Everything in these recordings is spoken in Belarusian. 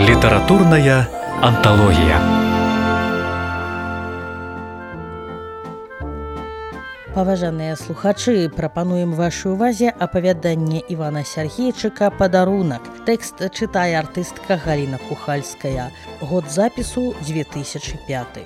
Літаратурная анталогія. Паважаныя слухачы, прапануем вашай увазе апавяданне Івана Сяргейчыка «Падарунак». Тэкст чытае артыстка Галіна Кухальская. Год запісу 2005.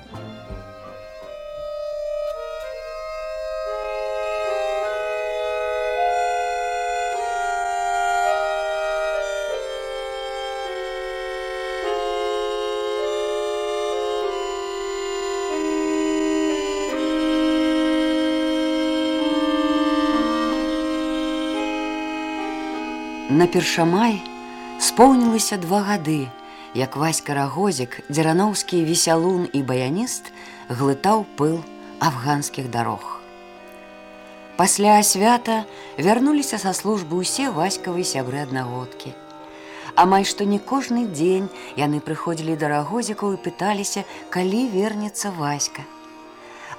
На першамай споўнілася 2 гады, як Васька Рагозік, дзерановскі весялун і баяніст, глытаў пыл афганскіх дарог. Пасля свята вярнуліся са службы ўсе Васькавы сябры аднагодкі. Амаль што не кожны дзень яны прыходзілі да Рагозікаў і пыталіся, калі вернецца Васька.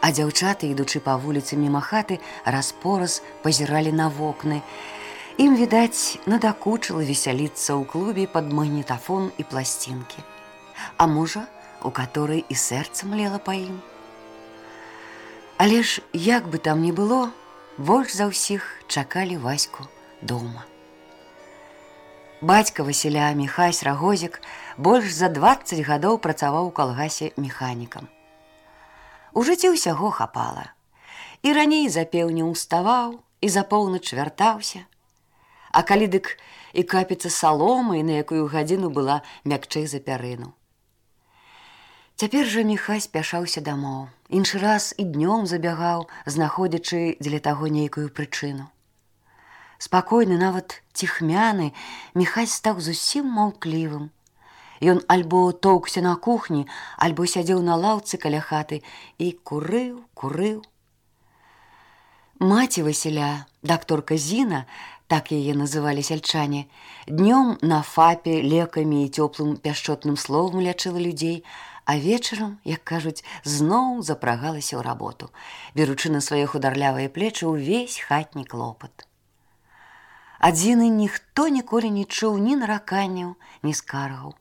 А дзяўчаты, ідучы па вуліцы міма хаты, раз-пораз пазіралі на вокны. Ім, відаць, надакучыла весяліцца ў клубе пад магнітафон і пласцінкі. А можа, у каторай і сэрца млела па ім. Але ж, як бы там ні было, больш за ўсіх чакалі Ваську дома. Бацька Васіля, Міхась Рагозік, больш за 20 гадоў працаваў у калгасе механікам. У жыцці ўсяго хапала. І раней за пеўню ўставаў, і за поўнач вяртаўся. А калі дык і капіца саломы, на якую гадзіну была мякчэй за пярыну. Цяпер жа Міхай спяшаўся дамоў. Іншы раз і днём забягаў, знаходзячы дзеля таго нейкую прычыну. Спакойны, нават ціхмяны, Міхай стаў зусім маўклівым. Ён альбо тоўкся на кухні, альбо сядзеў на лаўцы каля хаты і курыў. Маці Васіля, дакторка Зіна, так яе называлі сяльчане, днём на фапе лекамі і цёплым пяшчотным словам лячыла людзей, а вечарам, як кажуць, зноў запрагалася ў работу, беручы на свае хударлявыя плечы ўвесь хатні клопат. Ад Зіны ніхто ніколі не чуў ні нараканняў, ні скаргаў.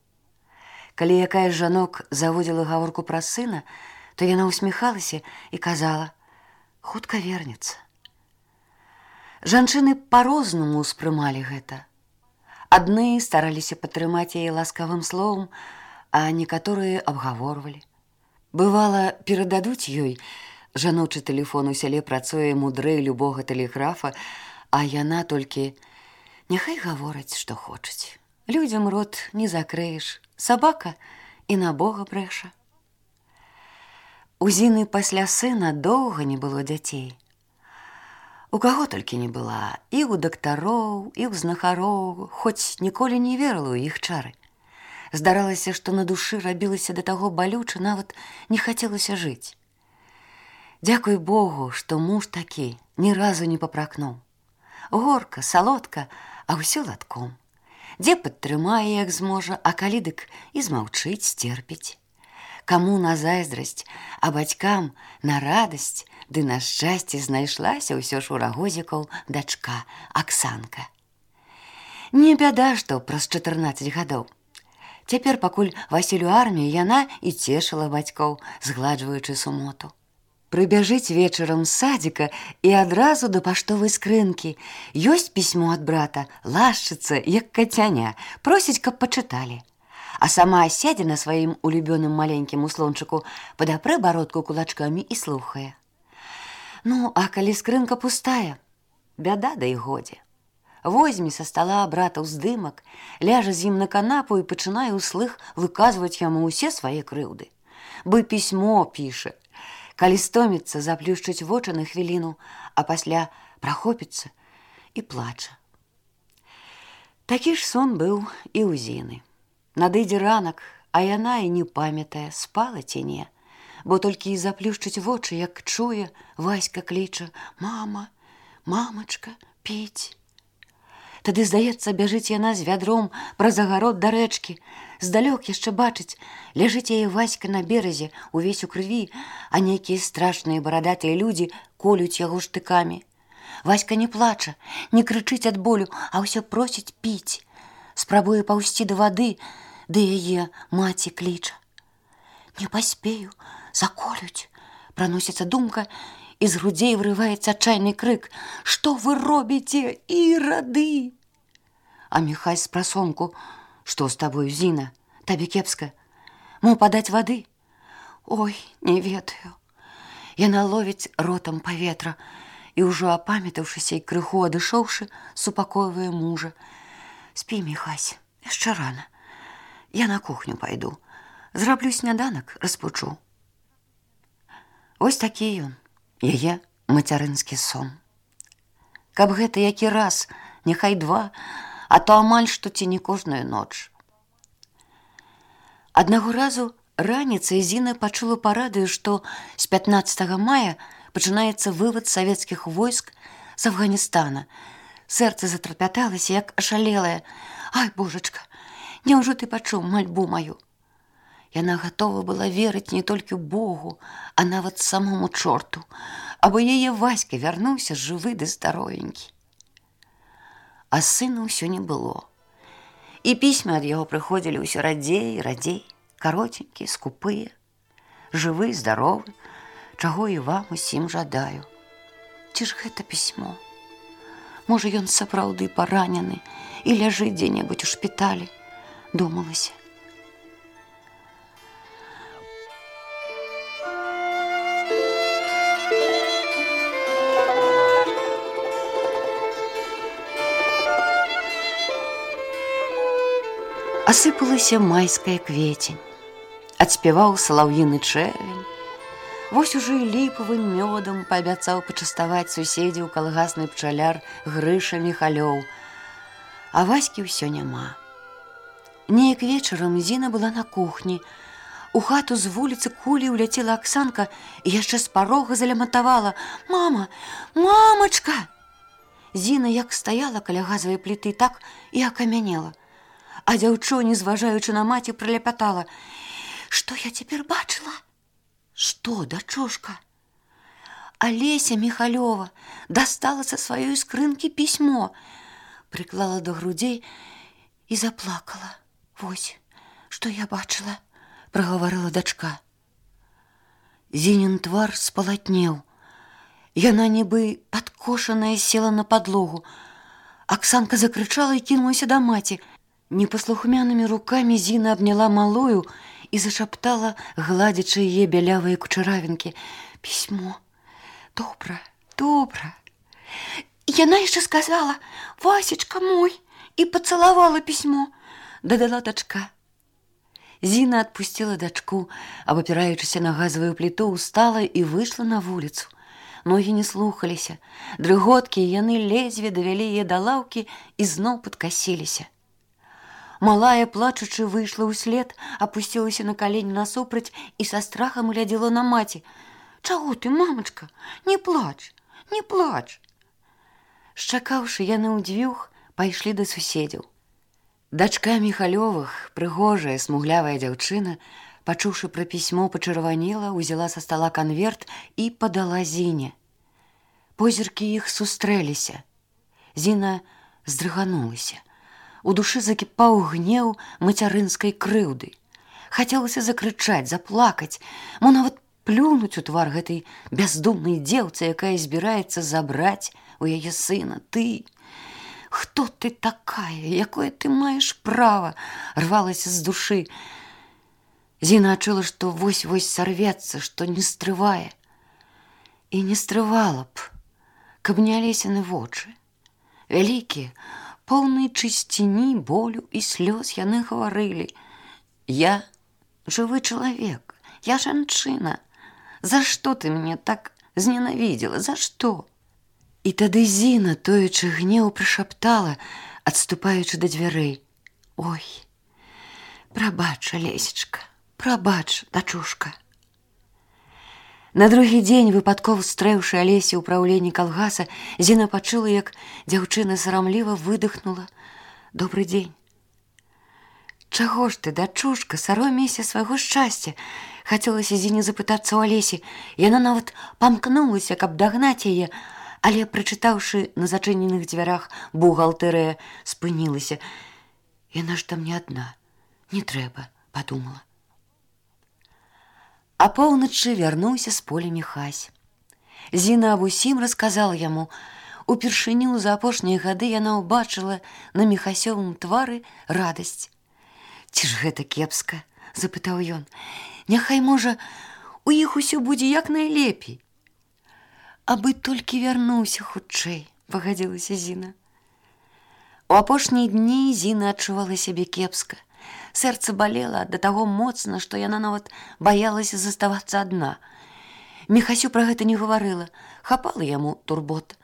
Калі якая з жанок заводзіла гаворку пра сына, то яна ўсміхалася і казала: «Хутка вернецца». Жанчыны па-рознаму ўспрымалі гэта. Адны стараліся падтрымаць яе ласкавым словам, а некаторыя абгаворвалі. Бывала, перададуць ёй, жаночы тэлефон у сяле працуе мудрэй любога тэлеграфа, а яна толькі: «Няхай гавораць, што хочуць. Людзям рот не закрыеш, сабака і на Бога брэша». У Зіны пасля сына доўга не было дзяцей. У каго толькі не была, і ў дактароў, і ў знахароў, хоць ніколі не верыла ў іх чары. Здаралася, што на душы рабілася да таго балюча, нават не хацелася жыць. Дзякуй Богу, што муж такі ні разу не папракнуў. Горка, салодка, а ўсё ладком. Дзе падтрымае, як зможа, а калі дык і змаўчыць, сцерпіць. Каму на зайздрасць, а бацькам на радасць ды на шчасце знайшлася ўсё ж у Рагозікаў дачка Аксанка. Не бяда, што праз 14 гадоў. Цяпер, пакуль Васіль у арміі, яна і цешыла бацькоў, згладжваючы сумоту. Прыбяжыць вечарам з садзіка і адразу да паштовай скрынкі. Ёсць пісьмо ад брата, лашчыцца, як кацяня, просіць, каб пачыталі. А сама сядзе на сваім улюбёным маленькім услончыку, падапрэ бародку кулачкамі і слухае. Ну, а калі скрынка пустая, бяда да і годзе. Возьме са стала брата ўздымак, ляжа з ім на канапу і пачынае ўслых выказваць яму ўсе свае крыўды. Бы пісьмо піша. Калі стоміцца, заплюшчыць вочы на хвіліну, а пасля прахопіцца і плача. Такі ж сон быў і ў Зіны. Надыдзе ранак, а яна і не памятае, спала ці не, бо толькі і заплюшчыць вочы, як чуе, Васька кліча: «Мама, мамачка, піць». Тады, здаецца, бяжыць яна з вядром праз агарод да рэчкі. Здалёк яшчэ бачыць, ляжыць яе Васька на беразе, увесь у крыві, а нейкія страшныя барадатыя людзі колюць яго штыкамі. Васька не плача, не крычыць ад болю, а ўсё просіць піць. Спрабуе паўсці да вады, ды яе маці кліча. Не паспею, заколюць, праносіцца думка, і з грудзей вырываецца адчайны крык: «Што вы робіце, ірады?» А Міхась з прасонку: «Што з табою, Зіна? Табе кепска? Мо падаць вады?» «Ой, не ведаю». Яна ловіць ротам паветра і, ўжо апамятаўшыся і крыху адышоўшы, супакойвае мужа: «Спі, Міхась, яшчэ рана. Я на кухню пайду. Зраблю сняданак, распучу». Вось такі ён, яе мацярынскі сон. Каб гэта які раз, няхай два, а то амаль што ці не кожную ноч. Аднаго разу раніцай Зіна пачула па радыё, што з 15 мая пачынаецца вывад савецкіх войск з Афганістана. Сэрца затрапяталася, як ашалелае. «Ай, божачка, няўжо ты пачуў мальбу маю?» Яна гатова была верыць не толькі Богу, а нават самому чорту, або яе Васька вярнуўся жывы ды здаровенькі. А сына ўсё не было. І пісьмы ад яго прыходзілі ўсё радзей і радзей, каротенькія, скупыя. Жывы, здаровы, чаго і вам усім жадаю. Ці ж гэта пісьмо? Можа, ён сапраўды паранены і ляжыць дзе-небудзь у шпіталі, думалася. Асыпалася майская кветень, адспяваў салаўіны чэрвень. Вось ужо і ліпавым мёдам паабяцаў пачаставаць суседзяў калгасны пчаляр Грыша Міхалёў. А Ваські ўсё няма. Неяк вечарам Зіна была на кухні. У хату з вуліцы кулей уляцела Аксанка і яшчэ з парога заляматавала: «Мама, мамачка!» Зіна як стаяла каля газавай пліты, так і акамянела. А дзяўчо, не зважаючы на маці, праляпятала: «Што я цяпер бачыла?» «Што, дачушка?» Алеся Міхалёва дастала са сваёй скрынкі пісьмо, прыклала да грудзей і заплакала. «Вось, што я бачыла», – прагаварыла дачка. Зінін твар спалатнеў. Яна нібы падкошаная села на падлогу. Аксанка закрычала і кінулася да маці. Непаслухмянымі рукамі Зіна абняла малую і зашаптала, гладзячы яе бялявыя кучаравінкі: «Пісьмо, добра, добра». Яна яшчэ сказала: «Васечка мой», і пацалавала пісьмо, дадала дачка. Зіна адпусціла дачку, абапіраючыся на газавую пліту, устала і выйшла на вуліцу. Ногі не слухаліся, дрыготкі яны ледзьве давялі яе да лаўкі і зноў падкасіліся. Малая, плачучы, выйшла ўслед, апусцілася на калені насупраць і са страхам глядзела на маці. «Чаго ты, мамачка? Не плач, не плач!» Шчакаўшы, яны ўдзвюх пайшлі да суседзяў. Дачка Міхалёвых, прыгожая, смуглявая дзяўчына, пачуўшы пра пісьмо, пачырванела, узяла са стала канверт і падала Зіне. Позіркі іх сустрэліся. Зіна здрыганулася. У душы закіпаў гнеў мацярынскай крыўды. Хацелася закрычаць, заплакаць, мо нават плюнуць у твар гэтай бяздумнай дзеўцы, якая збіраецца забраць у яе сына. «Ты! Хто ты такая? Якое ты маеш права?» рвалася з душы. Зіна адчула, што вось-вось сарвецца, што не стрывае. І не стрывала б, каб не алесяны вочы. Вялікія, поўныя чысціні, болю і слёз, яны гаварылі: «Я жывы чалавек, я жанчына. За што ты мяне так зненавідзела? За што?» І тады Зіна, тоячы гнеў, прашаптала, адступаючы да дзвярэй: «Ой, прабач, Алесечка, прабач, дачушка». На другі дзень, выпадкова стрэўшы Алесі ў праўленні калгаса, Зіна пачула, як дзяўчына сарамліва выдыхнула: «Добры дзень». «Чаго ж ты, дачушка, саромейся свайго шчасця?» Хацелася Зіне запытацца ў Алесі. Яна нават памкнулася, каб дагнаць яе, але, прачытаўшы на зачыненых дзвярах «Бухгалтэрыя», спынілася. Яна ж там не адна. Не трэба, падумала. Апоўначы вярнуўся з поля Міхась. Зіна аб усім расказала яму. Упершыню за апошнія гады яна ўбачыла на Міхасёвым твары радасць. «Ці ж гэта кепска?» – запытаў ён. «Няхай, можа, у іх усё будзе як найлепей». «Абы толькі вярнуўся хутчэй», – пагадзілася Зіна. У апошнія дні Зіна адчувала сябе кепска. Сэрца балела да таго моцна, што яна нават баялася заставацца адна. Міхасю пра гэта не гаварыла, хапала яму турбот.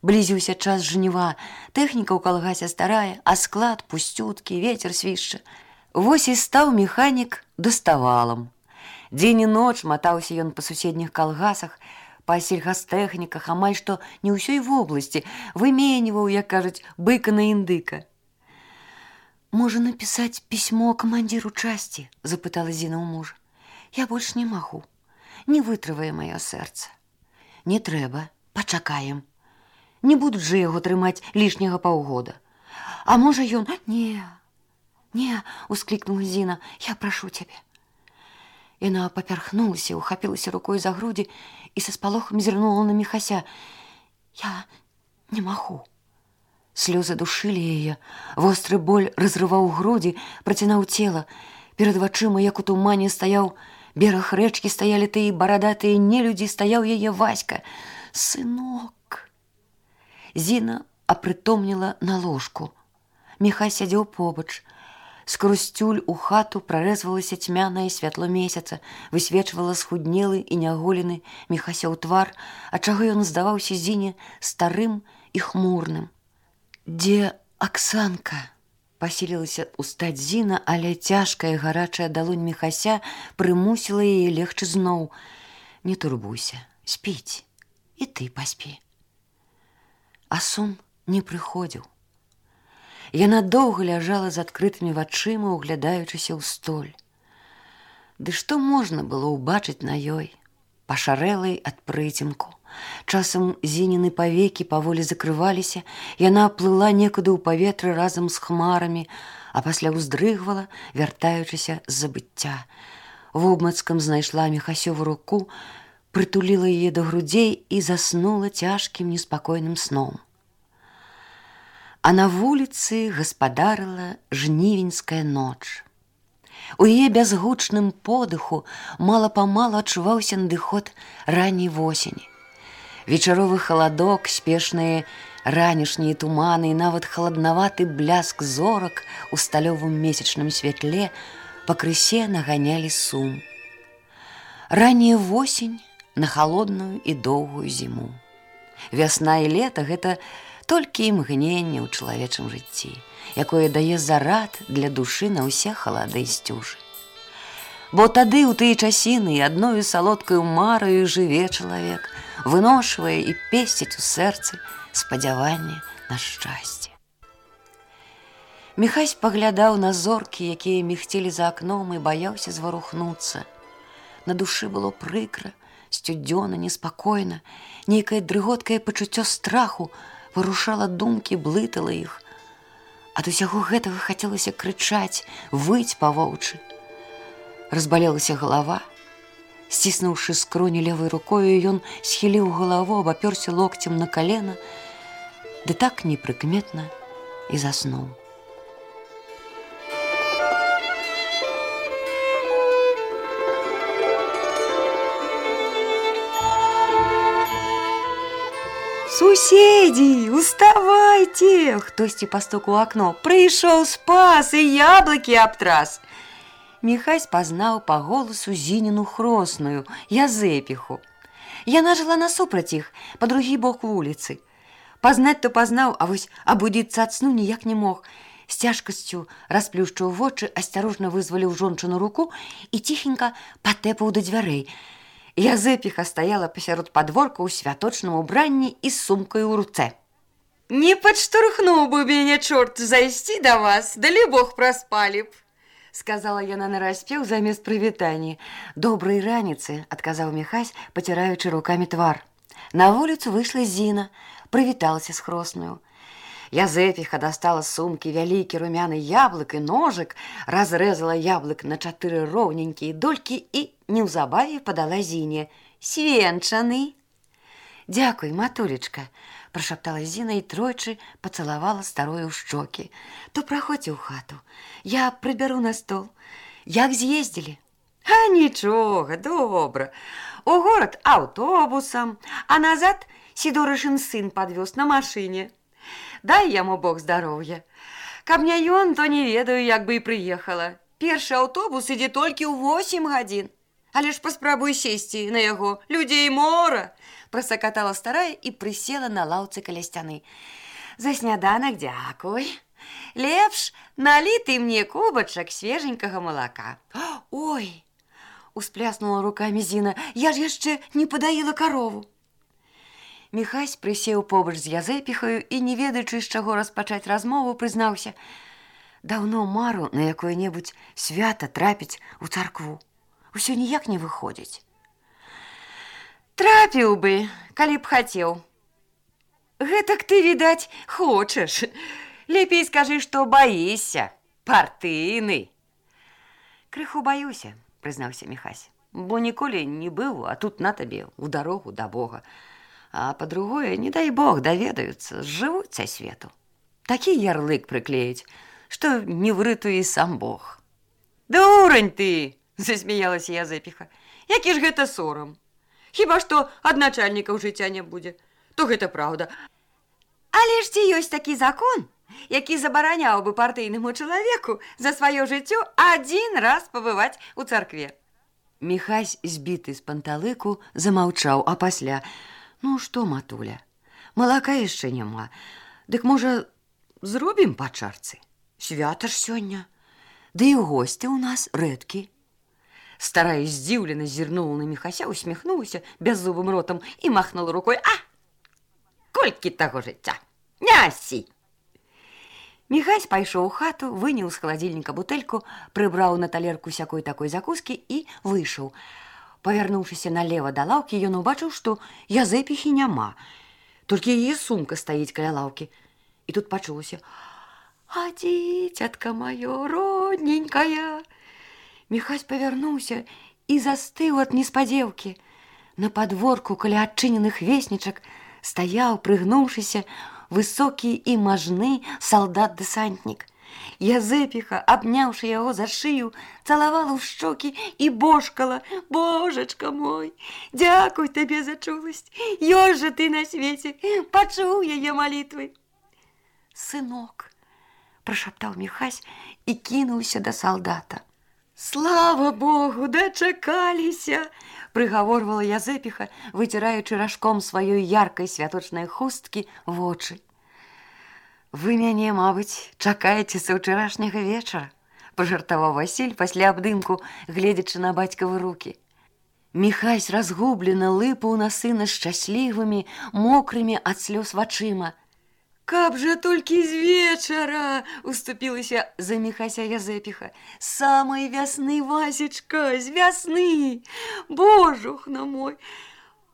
Блізіўся час жніва, тэхніка ў калгасе старая, а склад пусцюткі, вецер свішча. Вось і стаў механік даставалам. Дзень і ноч матаўся ён па суседніх калгасах, па сельгастэхніках, амаль што не ўсёй вобласці, выменьваў, як кажуць, быка на індыка. «Можа напісаць пісьмо камандзіру часці?» – запытала Зіна ў мужа. «Я больш не магу. Не вытрывае маё сэрца». «Не трэба, пачакаем. Не будуць жа яго трымаць лішняга паўгода. А можа ён...» «Не, – усклікнула Зіна, – я прашу цябе». Яна папярхнулася, ухапілася рукой за грудзі і са спалохам зірнула на Міхася. «Я не магу». Слёзы душылі яе, востры боль разрываў грудзі, працінаў цела. Перад вачыма, як у тумане, стаяў бераг рэчкі, стаялі тыя барадатыя нелюдзі, стаяў яе Васька. «Сынок!» Зіна апрытомніла на ложку. Міхай сядзеў побач. Скрозь цюль у хату прарэзвалася цьмянае святло месяца, высвечвала схуднелы і няголены Міхасёў твар, ад чаго ён здаваўся Зіне старым і хмурным. «Дзе Аксанка?» – пасілілася устаць Зіна, але цяжкая гарачая далонь Міхася прымусіла яе легчы зноў. «Не турбуйся, спіць, і ты паспі». А сон не прыходзіў. Яна доўга ляжала з адкрытымі вачыма, углядаючыся ў столь. Ды што можна было ўбачыць на ёй, пашарэлай ад прыцемку? Часам Зініны павекі паволі закрываліся, яна плыла некуды ў паветры разам з хмарамі, а пасля ўздрыгвала, вяртаючыся з забыцця. Вобмацкам знайшла Міхасёву руку, прытуліла яе да грудзей і заснула цяжкім неспакойным сном. А на вуліцы гаспадарыла жнівеньская ноч. У яе бязгучным подыху мала-памалу адчуваўся надыход ранняй восені. Вечаровы халадок, спешныя ранішнія туманы і нават халаднаваты бляск зорак у сталёвым месячным святле пакрысе наганялі сум. Ранняя восень на халодную і доўгую зіму. Вясна і лета – гэта толькі імгненне ў чалавечым жыцці, якое дае зарад для душы на ўсе халады і сцюжы. Бо тады ў тыя часіны адною салодкаю мараю жыве чалавек, выношвае і песціць у сэрцы спадзяванне на шчасце. Міхась паглядаў на зоркі, якія мігцелі за акном, і баяўся зварухнуцца. На душы было прыкра, сцюдзёна, неспакойна, нейкае дрыготкае пачуццё страху варушала думкі, блытала іх. Ад усяго гэтага хацелася крычаць, выць па-воўчы. Разбалелася галава. Сціснуўшы скроні левай рукою, ён схіліў галаву, абапёрся локцем на калена, ды так непрыкметна і заснуў. «Суседи, уставайте!» Хтосьці пастук у акно. «Прыйшоў спас і яблыкі абтрас!» Міхась пазнаў па голасу Зініну хросную, Язэпіху. Яна жыла насупраць іх, па другі бок вуліцы. Пазнаць то пазнаў, а вось абудзіцца ад сну ніяк не мог. З цяжкасцю расплюшчыў вочы, асцярожна вызваліў жончыну руку і ціхенька патэпаў да дзвярэй. Язэпіха стаяла пасярод падворка ў святочным убранні і з сумкай у руцэ. «Не падштурхнуў бы мяне чорт зайсці да вас, далі Бог праспалі б!» сказала яна нараспеў замест прывітання. «Добрай раніцы», – адказаў Міхась, паціраючы рукамі твар. На вуліцу выйшла Зіна, прывіталася з хроснаю. Язэпіха достала з сумкі вялікі румяны яблык і ножык, разрэзала яблык на 4 роўненькія долькі і неўзабаве падала Зіне. «Свенчаны!» «Дякуй, матулечка!» – прашаптала Зіна і тройчы пацалавала старую ў шчокі. «То праходзьце ў хату, я прыбяру на стол. Як з'ездзілі?» «А нічога, добра. У горад аўтобусам, а назад Сідорышын сын падвёз на машыне. Дай яму Бог здароўя. Каб не ён, то не ведаю, як бы і прыехала. Першы аўтобус ідзе толькі ў 8 гадзін. Але ж паспрабуй сесці на яго, людзей мора!» Прасакатала старая і прысела на лаўцы каля сцяны. «За сняданак дзякуй. Лепш налі ты мне кубачак свеженькага малака». «Ой!» – успляснула рукамі Зіна. «Я ж яшчэ не падаіла карову». Міхась прысеў побач з Язэпіхаю і, не ведаючы, з чаго распачаць размову, прызнаўся: «Даўно мару на якое-небудзь свята трапіць у царкву. Усё ніяк не выходзіць». «Трапіў бы, калі б хацеў. Гэтак ты, відаць, хочаш. Лепей скажы, што баішся, партыйны». «Крыху баюся», – прызнаўся Міхась, «бо ніколі не быў, а тут на табе ў дарогу да Бога. А па-другое, не дай Бог, даведаюцца, зжывуць са свету. Такі ярлык прыклеіць, што не выратуе сам Бог». «Дурань ты!» – засмяялася Язэпіха. «Які ж гэта сорам? Хіба што ад начальнікаў жыцця не будзе, то гэта праўда. Але ж ці ёсць такі закон, які забараняў бы партыйнаму чалавеку за сваё жыццё адзін раз пабываць у царкве?» Міхась, збіты з панталыку, замаўчаў, а пасля: «Ну што, матуля, малака яшчэ няма. Дык, можа, зробім па чарцы? Свята ж сёння. Ды і госці ў нас рэдкі». Старая здзіўлена зірнула на Міхася, усміхнулася бяззубым ротам і махнула рукой: «А! Колькі таго жыцця! Нясі!» Міхась пайшоў у хату, выняў з халадзільніка бутэльку, прыбраў на талерку сякой такой закускі і выйшаў. Павярнуўшыся налева да лаўкі, ён убачыў, што Язэпіхі няма. Толькі яе сумка стаіць каля лаўкі. І тут пачулася: «А дзіцятка маё родненькая!» Міхась павярнуўся і застыў ад неспадзеўкі. На падворку каля адчыненых веснічак стаяў, прыгнуўшыся, высокі і мажны салдат-дэсантнік. Язэпіха, абняўшы яго за шыю, цалавала ў шчокі і божкала: «Божачка мой, дзякуй табе за чуласць! Ёсць жа ты на свеце, пачуў яе малітвы!» «Сынок!» – прашаптаў Міхась і кінуўся да салдата. «Слава Богу, дачакаліся!» – прыгаворвала Язэпіха, выціраючы ражком сваёй яркай святочнай хусткі вочы. «Вы мяне, мабыць, чакаеце са ўчарашняга вечара», – пажартаваў Васіль пасля абдымку, гледзячы на бацькавы рукі. Міхась разгублена лыпаў на сына шчаслівымі, мокрымі ад слёз вачыма. «Каб жа толькі з вечара!» – уступілася за Міхася Язэпіха. «Самай вясны, Васечка, з вясны! Божухна мой!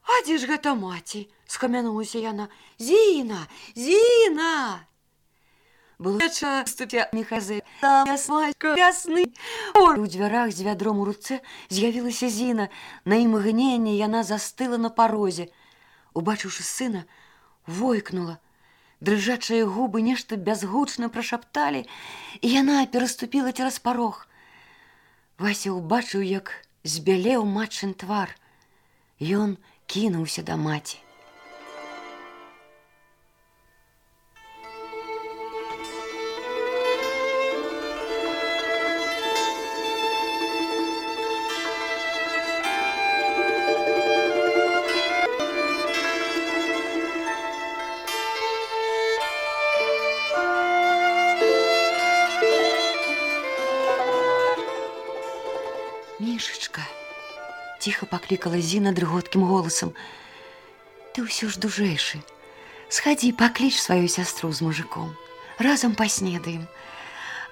А дзе ж гэта маці?» – схамянулася яна. «Зіна! Зіна!» Было вечара, уступя Міхася. «Самая вясны!» У дзвярах з вядром у руцэ з'явілася Зіна. На імгненне яна застыла на парозе. Убачыўшы сына, войкнула. Дрыжачыя губы нешта бязгучна прашапталі, і яна пераступіла цераз парог. Вася ўбачыў, як збялеў матчын твар. Ён кінуўся да маці. «Мішачка!» – ціха паклікала Зіна дрыготкім голасам. «Ты ўсё ж дужэйшы. Схадзі, пакліч сваю сястру з мужыком. Разам паснедаем.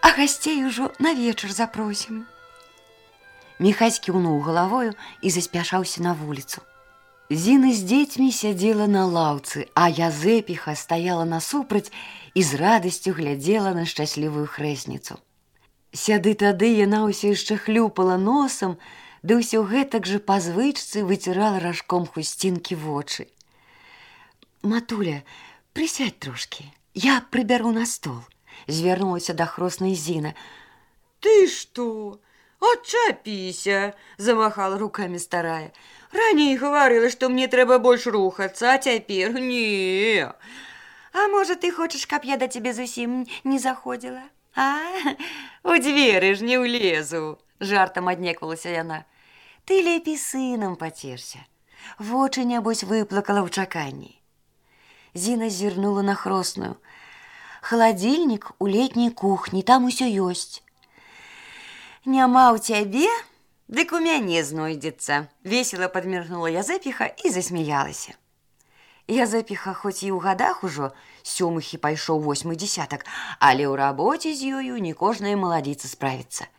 А гасцей ужо на вечар запросім». Міхась кіўнуў галавою і заспяшаўся на вуліцу. Зіна з дзецьмі сядзела на лаўцы, а Язэпіха стаяла насупраць і з радасцю глядзела на шчаслівую хрэсніцу. Сяды тады яна ўсё яшчэ хлюпала носам, ды ўсё гэтак жа па звычцы выцірала ражком хусцінкі вочы. «Матуля, прысядь трошкі, я прыбяру на стол», – звярнулася да хроснай Зіна. «Ты што? Отчапіся!» – замахала руками старая. «Раней гаварыла, што мне трэба больш рухацца, а цяпер не. А можа, ты хочаш, каб я да цябе зусім не заходзіла? А, у дзверы ж не ўлезу!» – жартам аднеквалася яна. «Ты лепей сынам пацешся. Вочы, нябось, выплакала ў чаканні». Зіна зірнула на хросную. «Халадзільнік у летняй кухні, там усё ёсць». «Няма ў цябе, дык у мяне знойдзецца», – весела падміргнула Язэпіха і засмяялася. Язэпіха хоць і ў гадах ужо, 7 пайшоў 8 дзесятак, але ў рабоце з ёю не кожная маладзіца справіцца.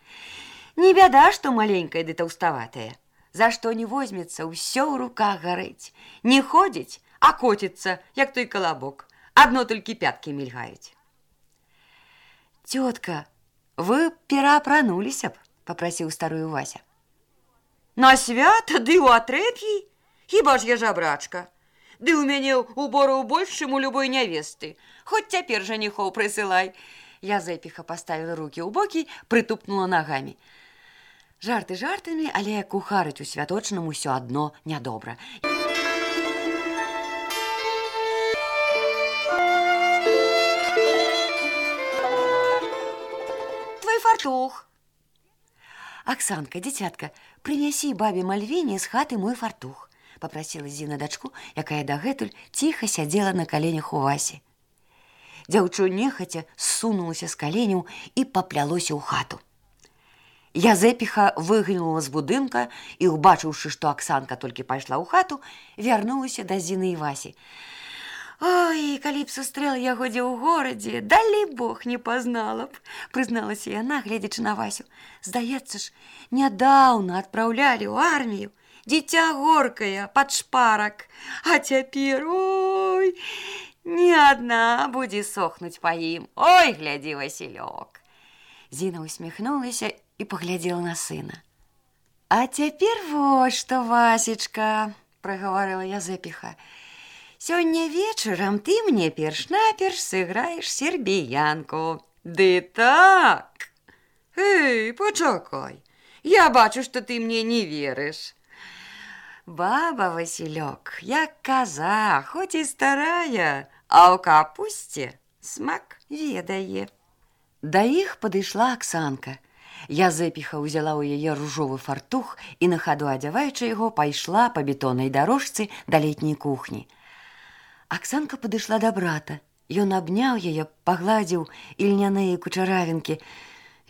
Не бяда, што маленькая ды таўставатая. За што не возьмецца, ўсё ў руках гарэць. Не ходзіць, а коціцца, як той калабок. Адно толькі пяткі мільгаюць. «Тётка, вы пераапрануліся б», – папрасіў старую Вася. «На свята ды ў атрэп'і? Хіба ж я жабрачка? Ды ў мяне убораў больш, чым у любой нявесты. Хоць цяпер жаніхоў прысылай». Язэпіха паставіла рукі ў бокі, прытупнула нагамі. Жарты жартамі, але кухарыць у святочным усё адно нядобра. «Твой фартух!» «Аксанка, дзіцятка, прынясі бабе Мальвіне з хаты мой фартух», – папрасіла Зіна дачку, якая дагэтуль ціха сядзела на каленях у Васі. Дзяўчо нехаця ссунулася з каленяў і паплялося ў хату. Язэпіха выглянула з будынка і, убачыўшы, што Аксанка толькі пайшла ў хату, вярнулася да Зіны і Васі. «Ой, калі б сустрэла яго дзе ў горадзе, далі Бог не пазнала б», – прызналася яна, гледзячы на Васю. «Здаецца ж, нядаўна адпраўлялі ў армію. Дзіця горкае, пад шпарак. А цяпер, ой, не адна будзе сохнуць па ім. Ой, глядзі, Васілёк». Зіна усміхнулася і паглядзела на сына. «А цяпер вось што, Васечка», – прагаварыла Язэпіха. «Сёння вечарам ты мне перш-наперш сыграеш сербіянку». «Ды так? Эй, пачакай, я бачу, што ты мне не верыш». «Баба, Васілёк, як каза, хоць і старая, а ў капусце смак ведае». Да іх падышла Аксанка. Язэпіха ўзяла ў яе ружовы фартух і, на хаду адзяваючы яго, пайшла па бетоннай дарожцы да летняй кухні. Аксанка падышла да брата. Ён абняў яе, пагладзіў ільняныя кучаравінкі.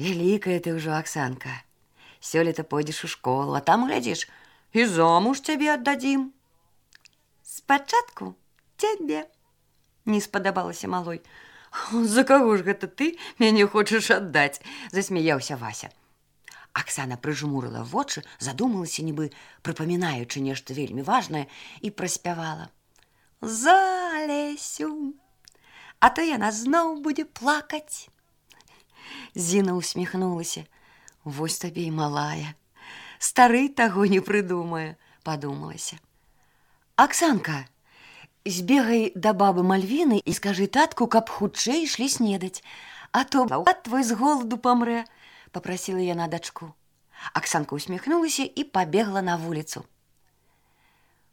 «Вялікая ты ўжо, Аксанка. Сёлета пойдзеш у школу, а там, глядзіш, і замуж цябе аддадзім». «Спачатку цябе», – не спадабалася малой. «За каго ж гэта ты мяне хочаш аддаць?» – засмяяўся Вася. Аксана прыжмурыла вочы, задумалася, нібы прыпамінаючы нешта вельмі важнае, і праспявала. «За Лесю, а то яна зноў будзе плакаць». Зіна усміхнулася. «Вось табе і малая. Стары таго не прыдумае», – падумалася. «Аксанка, збегай да бабы Мальвіны і скажы татку, каб хутчэй ішлі снедаць, а то брат твой з голаду памрэ», – папрасіла яна дачку. Аксанка усміхнулася і пабегла на вуліцу.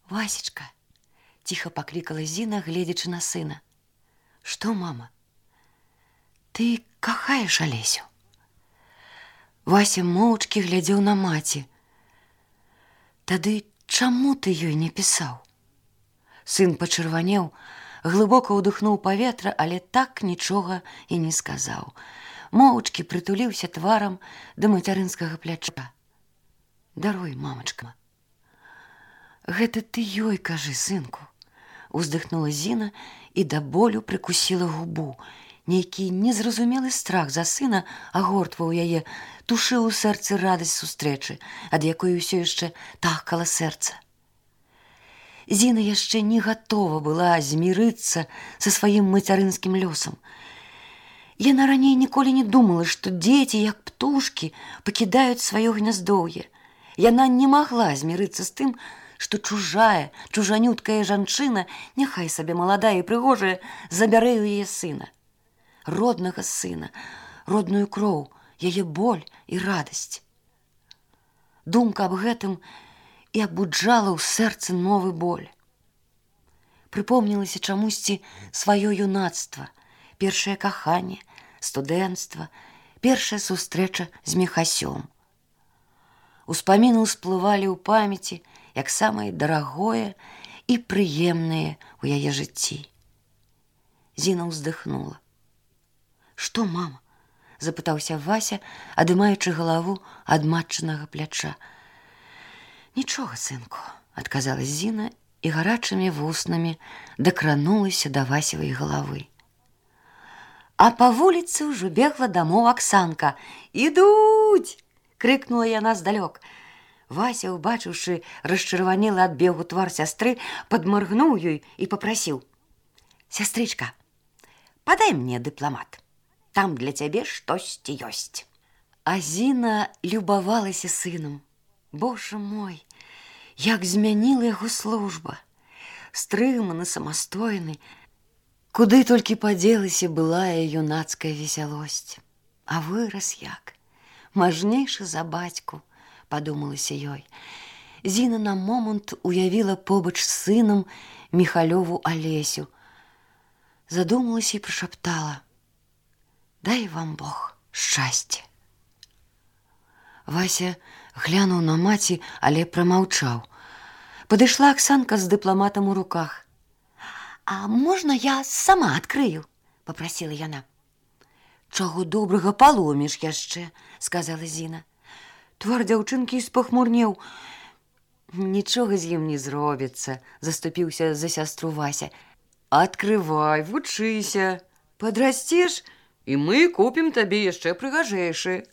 «Васечка», – ціха паклікала Зіна, гледзячы на сына. «Што, мама? Ты кахаеш Алесю?» Вася моўчкі глядзеў на маці. «Тады чаму ты ёй не пісаў?» Сын пачырванеў, глыбока ўдыхнуў паветра, але так нічога і не сказаў. Моўчкі прытуліўся тварам да мацярынскага пляча. «Даруй, мамачка». «Гэта ты ёй кажы, сынку», – уздыхнула Зіна і да болю прыкусіла губу. Нейкі незразумелы страх за сына агортваў яе, тушыў у сэрцы радасць сустрэчы, ад якой усё яшчэ тахкала сэрца. Зіна яшчэ не гатова была змірыцца са сваім мацярынскім лёсам. Яна раней ніколі не думала, што дзеці, як птушкі, пакідаюць сваё гняздоўе. Яна не магла змірыцца з тым, што чужая, чужанюткая жанчына, няхай сабе маладая і прыгожая, забярэ ў яе сына. Роднага сына, родную кроў, яе боль і радасць. Думка аб гэтым і абуджала ў сэрцы новы боль. Прыпомнілася чамусьці сваё юнацтва, першае каханне, студэнцтва, першая сустрэча з Міхасём. Успаміны ўсплывалі ў памяці, як самае дарагое і прыемнае ў яе жыцці. Зіна ўздыхнула. «Што, мама?» – запытаўся Вася, адымаючы галаву ад матчынага пляча. «Нічога, сынку», – адказала Зіна і гарачымі вуснамі дакранулася да Васевай галавы. А па вуліцы ўжо бегла дамоў Аксанка. «Ідуць!» – крыкнула яна здалёк. Вася, убачыўшы расчырванелы ад бегу твар сястры, падмаргнуў ёй і папрасіў: «Сястрычка, падай мне дыпламат. Там для цябе штосьці ёсць». А Зіна любавалася сынам. Боже мой, як змяніла яго служба. Стрыманы, самастойны. Куды толькі падзелася былая юнацкая весялосць. А вырас як. Мажнейшы за бацьку, падумалася ёй. Зіна на момант уявіла побач з сынам Міхалёву Алесю. Задумалася і прашаптала: «Дай вам Бог шчасце». Вася глянуў на маці, але прамаўчаў. Падышла Аксанка з дыпламатам у руках. «А можна я сама адкрыю?» – папрасіла яна. «Чаго добрага, паломіш яшчэ», – сказала Зіна. Твар дзяўчынкі спахмурнеў. «Нічога з ім не зробіцца», – заступіўся за сястру Вася. «Адкрывай, вучыся. Падрасцеш, і мы купім табе яшчэ прыгажэйшы».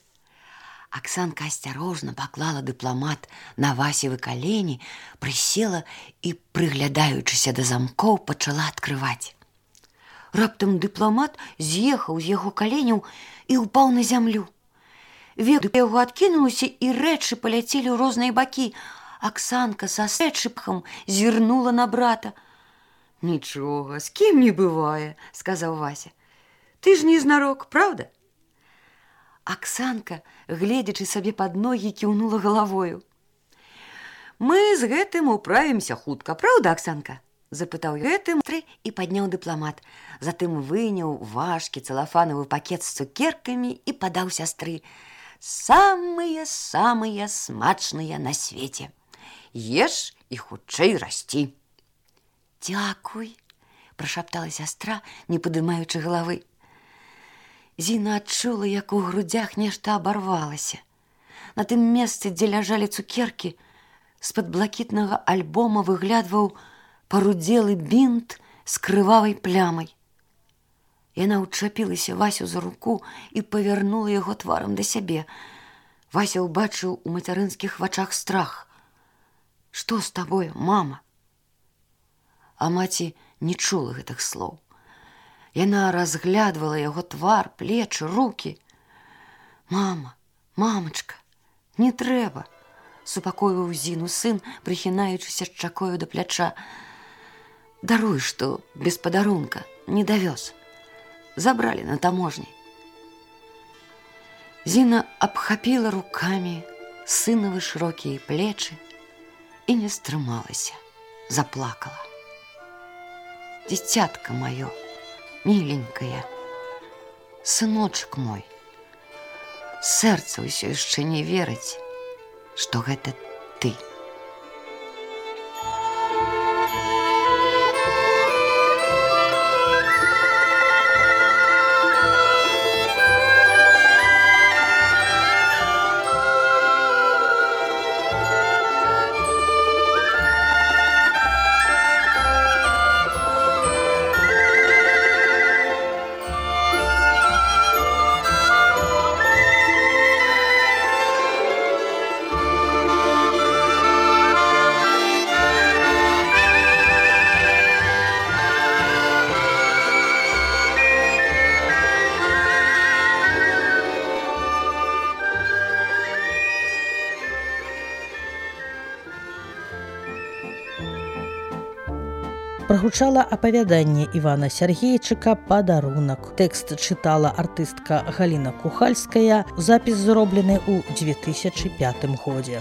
Аксанка асцярожна паклала дыпламат на Васевы калені, прысела і, прыглядаючыся да замкоў, пачала адкрываць. Раптам дыпламат з'ехаў з яго каленяў і ўпаў на зямлю. Век яго адкінулася, і рэчы паляцелі ў розныя бакі. Аксанка са сэчыпхам зірнула на брата. «Нічога, з кім не бывае», – сказаў Вася. «Ты ж не знарок, правда?» Аксанка, гледзячы сабе пад ногі, кіўнула галавою. «Мы з гэтым управімся хутка, праўда, Аксанка?» – запытаў гэтым і падняў дыпламат. Затым выняў важкі цэлафанавы пакет з цукеркамі і падаў сястры. «Самыя-самыя смачныя на свеце. Еш і хутчэй расці». «Дзякуй», – прашаптала сястра, не падымаючы галавы. Зіна адчула, як у грудзях нешта абарвалася. На тым месцы, дзе ляжалі цукеркі, з-пад блакітнага альбома выглядваў парудзелы бінт з крывавай плямай. Яна ўчапілася Васю за руку і павярнула яго тварам да сябе. Вася ўбачыў у мацярынскіх вачах страх. «Што з табою, мама?» А маці не чула гэтых слоў. Яна разглядвала яго твар, плечы, рукі. «Мама, мамачка, не трэба», – супакойваў Зіну сын, прыхінаючыся шчакою да пляча. «Даруй, што без падарунка не давёз. Забралі на таможні». Зіна абхапіла рукамі сынавы шырокія плечы і не стрымалася, заплакала. «Дзіцятка маё, миленькая, сыночак мой, сэрца ўсё яшчэ не верыць, што гэта ты». Прагучала апавяданне Івана Сяргейчыка «Падарунак». Тэкст чытала артыстка Галіна Кухальская. Запіс зроблены ў 2005 годзе.